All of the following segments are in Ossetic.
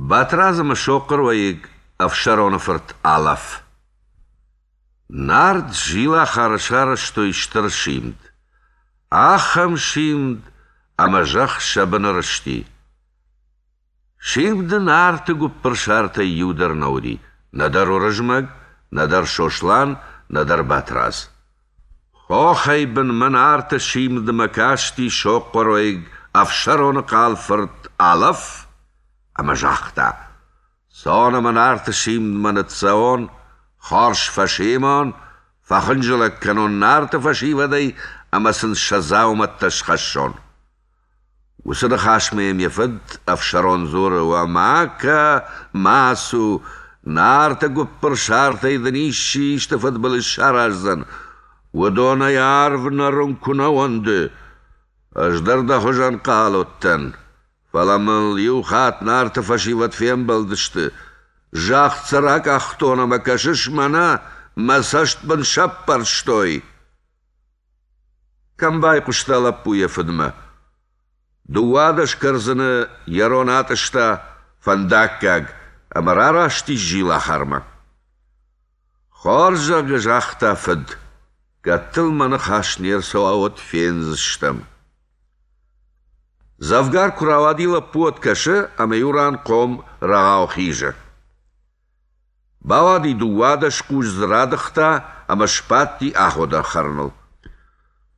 Батрадз ӕмӕ сохъхъыр уӕйыг Ӕфсӕроны фырт Алӕф. Нарт Зилахары сарӕзтой стыр симд. Ахӕм симд, ӕмӕ зӕхх сӕ быны рызти. Симды Нарты гуыппырсартӕй иу дӕр нӕ уыди, нӕдӕр Уырызмӕг, нӕдӕр Сослан, нӕдӕр Батрадз. Хохӕй бынмӕ Нарты симдмӕ касти сохъхъыр уӕйыг Ӕфсӕроны хъал фырт Алӕф ӕмӕ загъта: Цон ӕмӕ Нарты симдмӕ ныццӕуон, хорз фӕсимон, фӕхынджылӕг кӕнон Нарты фӕсивӕдӕй ӕмӕ сын сӕ дзаумӕттӕ схӕссон. Уыцы ныхасмӕ йӕм йӕ фыд Ӕфсӕрон дзуры: Уӕ ма кӕ, ма цу, Нарты гуыппырсартӕй дын исчи исты фыдбылыз сараздзӕн. Уыдонӕй арв нӕрын куы нӕ уӕнды. Ӕз дӕр дӕ хуызӕн хъал уыдтӕн, фӕлӕ мыл иу хатт Нарты фӕсивӕд фембӕлдысты. Загъд сӕ ракъахтон ӕмӕ кӕсыс мӕнӕ, мӕ цӕст мын сӕппӕрстой. Кӕм байхъуыста лӕппу йӕ фыдмӕ? 12 кӕрдзыны йӕ рон атъыста фӕндаггаг ӕмӕ рараст ис Зилахармӕ. Хорз, зӕгъгӕ, загъта фыд, кӕд дыл мӕ ныхас не рцӕуа, уӕд фендзыстӕм. Дзӕвгар куы рауади лӕппу, уӕд кӕсы, ӕмӕ иу ран хъом рӕгъау хизы. Бауади 12 хъус дзы радыгъта ӕмӕ сбадти аходӕн хӕрыныл.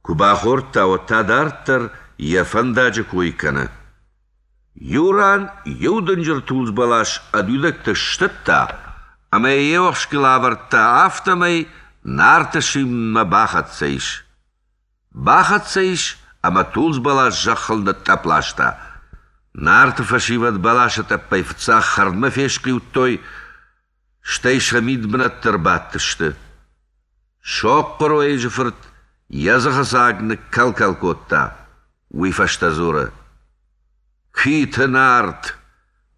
Куы бахордта, уӕд та дарддӕр йӕ фӕндаджы кой кӕны. Иу ран иу дынджыр тулдз бӕлас ӕд уидӕгтӕ стыдта ӕмӕ йӕ йе уӕхскыл авӕрдта, афтӕмӕй Нарты симдмӕ бахӕццӕ ис. Бахӕццӕ ис ӕмӕ тулдз бӕлас зӕххыл нытътъӕпп ласта. Нарты фӕсивӕд бӕласы тъӕппӕй фыццаг хӕрдмӕ фесхъиудтой, стӕй сӕ мидбынӕтты ӕрбадтысты. Сохъхъыр уӕйыджы фырт йӕ дзыхы дзаг ныккӕл-кӕл кодта, уый фӕстӕ дзуры: «Куиты Нарт,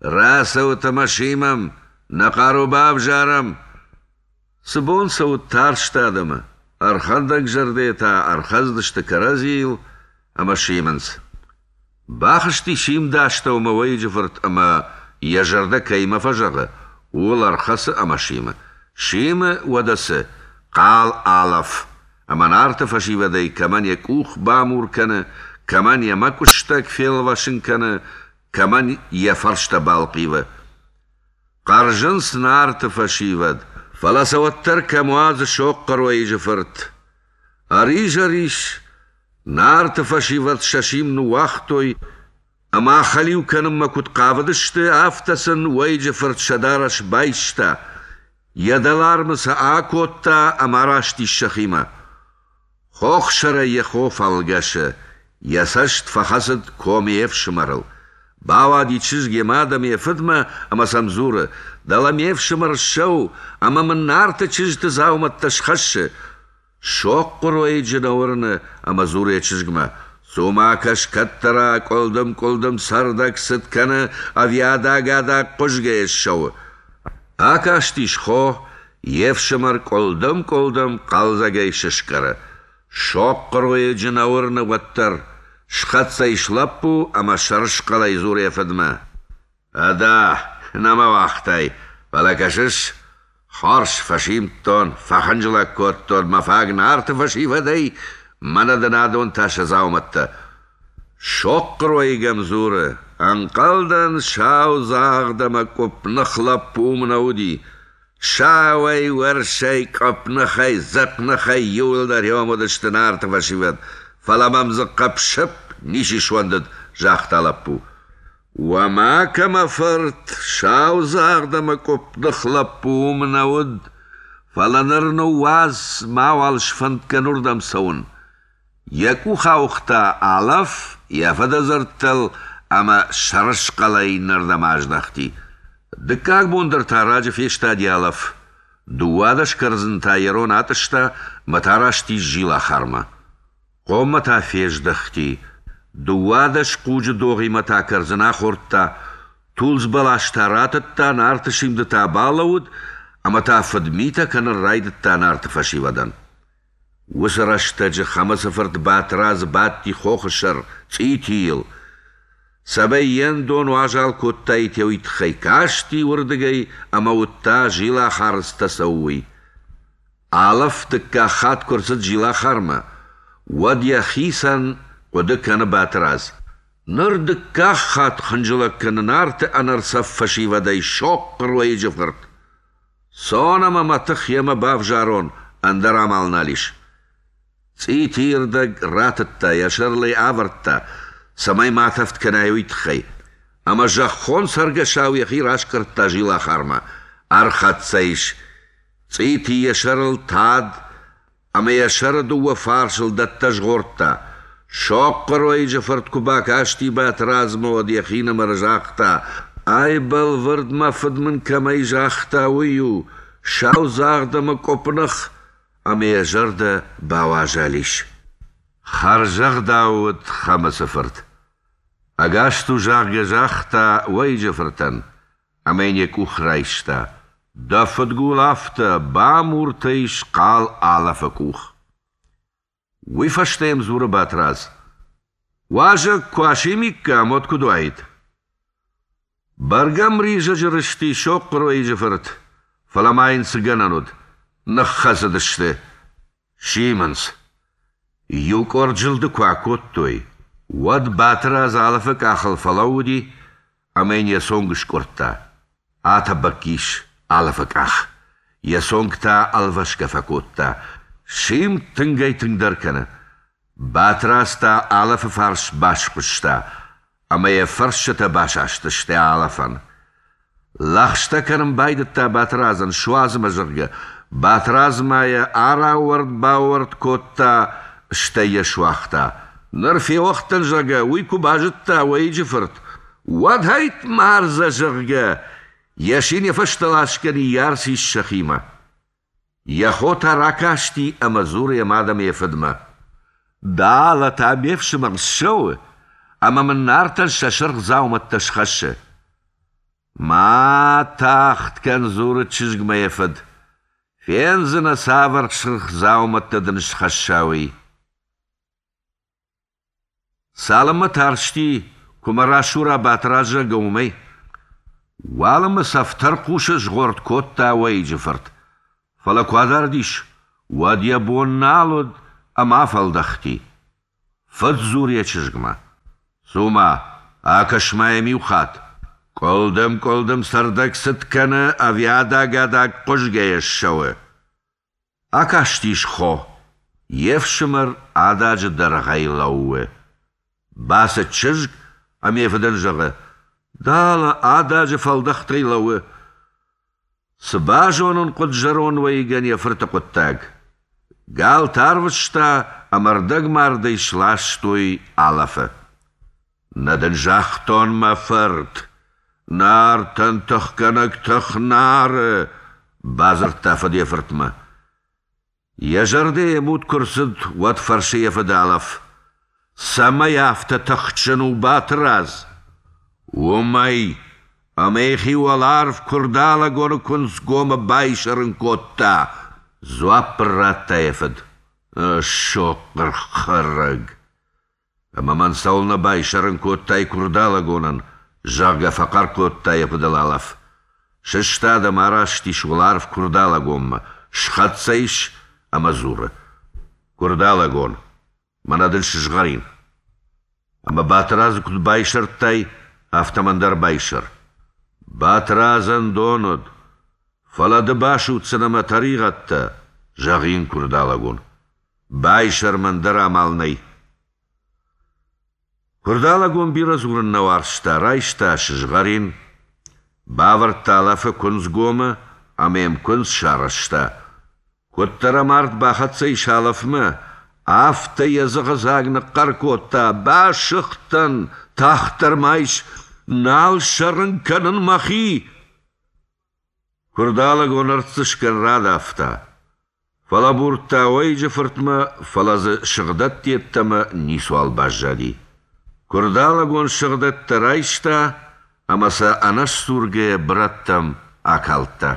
рацӕут ӕмӕ симӕм, нӕ хъару бавзарӕм!» Цы бон сӕ уыд тарст адӕмы, ӕрхӕндӕг зӕрдӕтӕ ӕрхӕцыдысты кӕрӕдзийыл ӕмӕ симынц. Бахызти симды астӕумӕ уӕйыджы фырт ӕмӕ, йӕ зӕрдӕ кӕимӕ фӕзӕгъы, ууыл ӕрхӕцы ӕмӕ симы. Симы, уӕдӕ цы, хъал Алӕф, ӕмӕ Нарты фӕсивӕдӕй кӕмӕн йӕ къух бамур кӕны, кӕмӕн йӕ мӕкъуыстӕг фелвасын кӕны, кӕмӕн йӕ фӕрстӕ балхъивы. Хъӕрзынц Нарты фӕсивӕд, фӕлӕ сӕ уӕддӕр кӕм уадзы сохъхъыр уӕйыджы фырт. Ӕризӕр ис, Нарты фӕсивӕд сӕ сим ныууагътой ӕмӕ ахӕлиу кӕнынмӕ куыд хъавыдысты, афтӕ сын уӕйыджы фырт сӕ дарӕс байста, йӕ дӕлармы сӕ акодта ӕмӕ араст ис сӕхимӕ. Хохсӕрӕй йӕ хо фӕлгӕсы, йӕ цӕст фӕхӕцыд комы йе фсымӕрыл. Бауади чызг йӕ мад ӕмӕ йӕ фыдмӕ ӕмӕ сӕм дзуры: «Дӕлӕ ме фсымӕр ссӕуы ӕмӕ мын Нарты чызджыты дзаумӕттӕ схӕссы». Сохъхъуыр уӕйыджы нӕ уырны ӕмӕ дзуры йӕ чызгмӕ: «Цу-ма кӕс, кӕддӕра къуылдым-къуылдым цӕрдӕг цыд кӕны ӕви адаг-адаг хъуызгӕ ссӕуы». Акастис хо, йе фсымӕр къуылдым-къуылдым хъӕлдзӕгӕй сыскъӕры. Сохъхъыр уӕйыджы нӕ уырны уӕддӕр. Схӕццӕ ис лӕппу ӕмӕ сӕрысхъӕлӕй дзуры йӕ фыдмӕ: «Ӕдӕ, нӕ мӕ уагътай, фӕлӕ кӕсыс, хорз фӕсимдтон, фӕхынджылӕг кодтон мӕ фаг Нарты фӕсивӕдӕй, мӕнӕ дын адон та сӕ дзаумӕттӕ. Сохъхъыр уӕйыг ӕм дзуры: «Ӕнхъӕлдӕн, саудзагъд ӕмӕ къуыпных лӕппу уым нӕ уыди. Сауӕй, уӕрсӕй, къуыпныхӕй, дзыхъныхӕй иууылдӕр иуӕм уыдысты Нарты фӕсивӕд, фӕлӕ мӕм дзы хъыпп-сыпп ничи суӕндыд», — загъта лӕппу. «Уӕ макӕ, мӕ фырт, саудзагъд ӕмӕ къуыпных лӕппу уым нӕ уыд, фӕлӕ ныр ныууадз, мауал сфӕнд кӕн уырдӕм цӕуын. Йӕ къух ауыгъта Алӕф йӕ фыды дзырдтыл ӕмӕ сӕрысхъӕлӕй иннӕрдӕм аздӕхти. Дыккаг бон дӕр та раджы фестади Алӕф. 12 кӕрдзын та йӕ рон атъыста мӕ та раст ис Зилахармӕ. Хъоммӕ та фездӕхти. 12 хъуджы догъимӕ та кӕрдзын ахордта, тулдз бӕлас та ратыдта, Нарты симды та балӕууыд ӕмӕ та фыдмитӕ кӕнын райдыдта Нарты фӕсивӕдӕн. Уыцы рӕстӕджы Хӕмыцы фырт Батрадз бадти хохы сӕр, цъитийыл. Цӕмӕй йе ндон уазал кодтаид, уый тыххӕй касти уырдыгӕй ӕмӕ уыдта, Зилахары цытӕ цӕуы, уый. Алӕф дыккаг хатт куы рцыд Зилахармӕ, уӕд йӕхицӕн хъуыды кӕны Батырадз: Ныр дыккаг хатт хынджылӕг кӕны Нарты ӕнӕрцӕф фӕсивӕдӕй сохъхъыр уӕйыджы фырт. Цон ӕмӕ мӕ тых йемӕ бавзарон, ӕндӕр амал нал ис. Цъитийы рдӕг ратыдта, йӕ сӕрыл ӕй авӕрдта, цӕмӕй ма тӕвд кӕнай, уый тыххӕй. Ӕмӕ зӕххон цӕргӕсау йӕхи раскъӕрдта Зилахармӕ. Ӕрхӕццӕ ис. Цъити йӕ сӕрыл тад ӕмӕ йӕ сӕры дыууӕ фарсыл дӕттӕ згъордта. Сохъхъыр уӕйыджы фырт куы бакасти Батрадзмӕ, уӕд йӕхинымӕр загъта: «Ай бӕлвырд мӕ фыд мын кӕмӕй загъта, уый у, саудзагъд ӕмӕ къуыпных!» ӕмӕ йӕ зӕрдӕ бауазал ис. Хӕрзӕгъдау уыд Хӕмыцы фырт. Ӕгас цу, зӕгъгӕ, загъта уӕйыджы фыртӕн, ӕмӕ йын йӕ къух райста. Дӕ фыдгул афтӕ, бамуртӕ ис хъал Алӕфы къух. Уый фӕстӕ йӕм дзуры Батрадз: Уазӕг куы асимиккам, уӕд куыд уаид? Бӕргӕ ӕмризӕджы рызти сохъхъыр уӕйыджы фырт, фӕлӕ ма йын цы гӕнӕн уыд, ныххӕцыдысты. Симынц. Иу къорд зылды куы акодтой, уӕд Батырадз Алӕфы къахыл фӕлӕууыди ӕмӕ йын йӕ цонг скъуырдта. Атӕбӕкк ис Алӕфы къах, йӕ цонг та ӕлвасгӕ фӕкодта. Симд тынгӕй-тынгдӕр кӕны. Батрадз та Алӕфы фарс басхуыста, ӕмӕ йӕ фӕрсчытӕ басастысты Алӕфӕн. Лӕгъстӕ кӕнын байдыдта Батрадзӕн, суадз мӕ, зӕгъгӕ. Батрадз ма йӕ араууӕрд-баууӕрд кодта, стӕй йӕ суагъта. Ныр феуӕгъд дӕн, зӕгъгӕ, уый куы базыдта уӕйыджы фырт, уӕд ӕйтт-мардзӕ, зӕгъгӕ, йӕ син йӕ фӕстӕ ласгӕ ныййарц ис сӕхимӕ. Йӕ хо та ракасти ӕмӕ дзуры йӕ мад ӕмӕ йӕ фыдмӕ: «Дӕлӕ та ме фсымӕр ссӕуы ӕмӕ мын Нартӕн сӕ сырх дзаумӕттӕ схӕссы». «Ма тагъд кӕн, — дзуры чызгмӕ йӕ фыд, — фендзынӕ, цавӕр сырх дзаумӕттӕ дын схӕсса, уый». Цалынмӕ тарсти, куы мӕ расура Батрадз, зӕгъгӕ, уымӕй. Уалынмӕ цӕф тӕрхъусы згъорд кодта уӕйыджы фырт. Фӕлӕ куы адард ис, уӕд йӕ бон нал уыд ӕмӕ афӕлдӕхти. Фыд дзуры йӕ чызгмӕ: «Цу-ма, акӕс-ма йӕм иу хатт. Къуылдым-къуылдым цӕрдӕг цыд кӕны ӕви адаг-адаг хъуызгӕйӕ ссӕуы?» Акастис хо, йе фсымӕр ададжы дӕргъӕй лӕууы. Бацыд чызг ӕмӕ йӕ фыдӕн зӕгъы: «Дӕлӕ ададжы фӕлдӕхтӕй лӕууы». Цы базонын хъуыд зӕронд уӕйыгӕн йӕ фырты хъуыддаг? Галты арвыста ӕмӕ ӕрдӕгмардӕй сластой Алӕфы. Нӕ дын загътон, мӕ фырт, Нартӕн тыхгӕнӕг тых нары, бадзырдта фыд йӕ фыртмӕ. Йӕ зӕрдӕ йе муд куы рцыд, уӕд фӕрсы йӕ фыд Алӕф: Цӕмӕй афтӕ тыхджын у Батырадз? Уымӕй, ӕмӕ йӕхи уӕларв Куырдалӕгоны куынцгомы байсӕрын кодта, дзуапп ын радта йӕ фыд. Сохъхъыр хӕрӕг! Ӕмӕ мӕн цӕуылнӕ байсӕрын кодтай Куырдалӕгонӕн, зӕгъгӕ, фӕхъӕр кодта йӕ фыдыл Алӕф. Сыстад ӕмӕ араст ис уӕларв Куырдалӕгонмӕ, схӕццӕ ис ӕмӕ дзуры: Куырдалӕгон, мӕнӕ дын сызгъӕрин. Ӕмӕ Батырадзы куыд байсӕрдтай, афтӕ мӕн дӕр байсӕр. Батырадзӕн дон уыд, фӕлӕ ды басудздзынӕ мӕ тӕригъӕдтӕ, зӕгъы йын Куырдалӕгон. Байсӕр мӕн дӕр амал нӕй. Куырдалӕгон бирӕ дзурын нӕ уарзта, райста сызгъӕрин, бавӕрдта Алӕфы куындзгомы ӕмӕ йӕм куындз сарӕзта. Куыддӕр ӕм арт бахӕццӕ ис Алӕфмӕ, афтӕ йӕ дзыхыдзаг ныхъхъӕр кодта: «Басыгъдтӕн, тагъддӕр ма айс, нал сӕрын кӕнын мӕхи!» Куырдалӕгон ӕртдзысгӕн радавта. Фӕлӕбурдта уӕйыджы фыртмӕ, фӕлӕ дзы сыгъдӕтт йеддӕмӕ ницуал баззади. Куырдалӕгон сыгъдӕттӕ райста ӕмӕ сӕ ӕнӕсдзургӕйӕ бырӕттӕм акалдта.